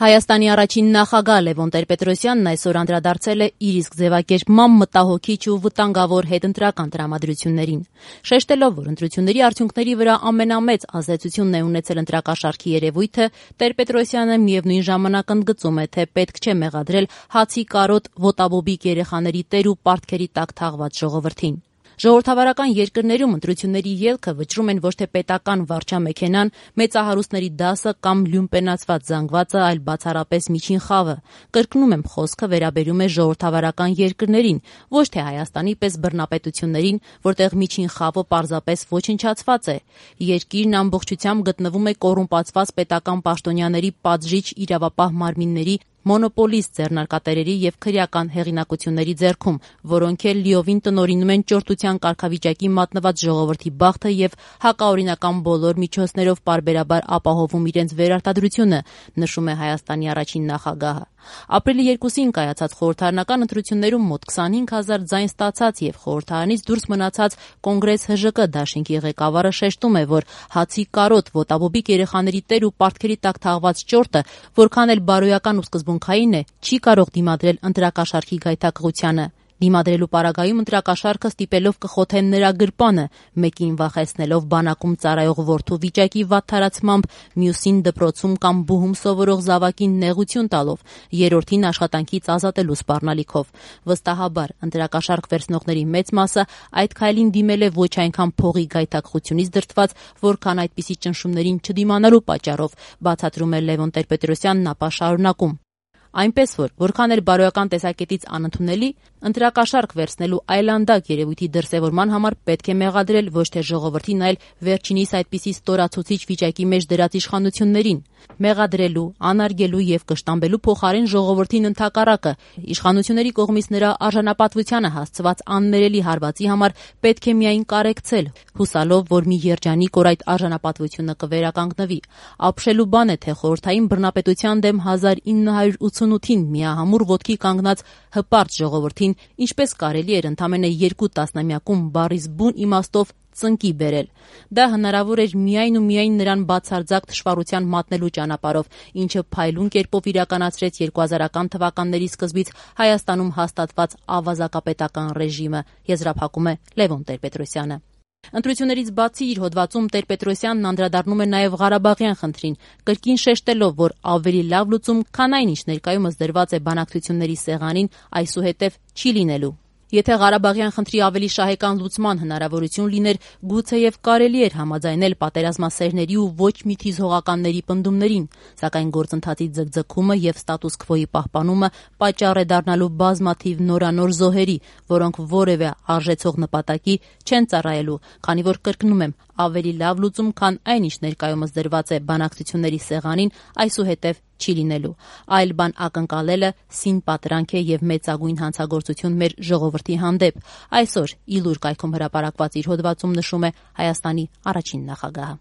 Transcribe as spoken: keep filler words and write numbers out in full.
Հայաստանի առաջին նախագահ Լևոն Տեր-Պետրոսյանն այսօր անդրադարձել է իր իսկ ձևակերպմամբ մտահոգիչ ու վտանգավոր հետընտրական տրամադրություններին։ Շեշտելով, որ ընտրությունների արդյունքների վրա ամենամեծ ազդեցությունն է ունեցել ընտրակաշառքի երևույթը, Տեր-Պետրոսյանը միևնույն ժամանակ ընդգծում է, թե պետք չէ մեղադրել հացի կարոտ ոտաբոբիկ երեխաների տեր ու պարտքերի տակ թաղված ժողովրդին։ Ժողովրդավարական երկրներում ընտրությունների ելքը վճռում են ոչ թե պետական վարչամեքենան, մեծահարուստների դասը կամ լյումպենացված զանգվածը, այլ բացառապես միջին խավը։ Կրկնում եմ, խոսքը վերաբերում է ժողովրդավարական երկրներին, ոչ թե Հայաստանի պես բռնապետություններին, որտեղ միջին խավը պարզապես ոչնչացված է։ Երկիրն ամբողջությամբ գտնվում է կոռումպացված պետական պաշտոնյաների պատժիչ իրավապահ մարմինների, մոնոպոլիստ ձեռնարկատերերի եւ քրեական հեղինակությունների ձեռքում, որոնք էլ լիովին տնօրինում են ճորտության կարգավիճակի մատնված ժողովրդի բախտը եւ հակաօրինական բոլոր միջոցներով պարբերաբար ապահովում իրենց վերարտադրությունը, նշում է Հայաստանի առաջին նախագահը։ Ապրիլի երկուսին կայացած խորհրդարանական ընտրություններում մոտ քսանհինգ հազար ձայն ստացած եւ խորհրդարանից դուրս մնացած Կոնգրես ՀԺԿ դաշինքի ղեկավարը շեշտում է, որ հացի կարոտ ոտաբոբիկ երեխաների տեր ու պարտքերի տակ թաղված ճորտը, որքան էլ բարոյական ու սկզբունքային է, չի կարող դիմադրել ընտրակաշառքի գայթակղությանը։ Դիմադրելու պարագայում ընտրակաշառքը ստիպելով կխոթեն նրա գրպանը, մեկին վախեցնելով բանակում ծառայող որդու վիճակի վատթարացմամբ, մյուսին դպրոցում կամ բուհում սովորող զավակին նեղություն տալով, երրորդին աշխատանքից ազատելու սպառնալիքով։ Վստահաբար, ընտրակաշառք վերցնողների մեծ մասը այդ քայլին դիմել է ոչ այնքան փողի գայթակղությունից դրդված, որքան այդպիսի ճնշումներին չդիմանալու պատճառով, բացատրում է Լևոն Տեր-Պետրոսյանն, ապա շարունակում. Այնպես որ, որքան էլ բարոյական տեսակետից անընդունելի, ընտրակաշառք վերցնելու այլանդակ երևույթի դրսևորման համար պետք է մեղադրել ոչ թե ժողովրդին, այլ վերջինիս այդպիսի ստորացուցիչ վիճակի մեջ դրած իշխանություններին։ Մեղադրելու, անարգելու եւ կշտամբելու փոխարեն ժողովրդին ընդհակառակը, իշխանությունների կողմից նրա արժանապատվությանը հասցված աններելի հարվածի համար պետք է միայն կարեկցել, հուսալով, որ մի երջանիկ օր այդ արժանապատվությունը կվերականգնվի։ Ապշելու բան է, թե խորհրդային բռնապետության դեմ հազար ինը հարյուր ութսունութին միահամուռ ոտքի կանգնած հպարտ ժողովրդին ինչպես կարելի էր ընդամենը երկու տասնամյակում բառից բուն իմաստով ծնկի բերել։ Դա հնարավոր էր միայն ու միայն նրան բացարձակ թշվառության մատնելու ճանապարհով, ինչը փայլուն կերպով իրականացրեց երկու հազարական թվականների սկզբից Հայաստանում հաստատված ավազակապետական ռեժիմը, եզրափակում է Լևոն Տեր-Պետրոսյանը։ Ընտրություններից բացի իր հոդվածում Տեր-Պետրոսյանն անդրադառնում է նաև Ղարաբաղյան խնդրին, կրկին շեշտելով, որ ավելի լավ լուծում, քան այն, ինչ ներկայումս դրված է բանակցությունների սեղանին, այսուհետև չի լինելու։ Եթե Ղարաբաղյան խնդրի ավելի շահեկան լուծման հնարավորություն լիներ, գուցեև կարելի էր համաձայնել պատերազմասերների ու ոչ միթիզհողականների պնդումներին, սակայն գործընթացի ձգձգումը եւ ստատուս քվոյի պահպանումը պատճառ է դառնալու բազմաթիվ նորանոր զոհերի, որոնք որևէ արժեցող նպատակի չեն ծառայելու, քանի որ կրկնում եմ, ավելի լավ լուծում, քան այն, ինչ ներկայումս դրված է բանակցությունների սեղանին, այսուհետև չի լինելու։ Այլ բան ակնկալելը սին պատրանք է եւ մեծագույն հանցագործություն մեր ժողովրդի հանդեպ։ Այսօր Իլուր կայքում հրապարակված իր հոդվածում նշում է Հայաստանի առաջին նախագահը։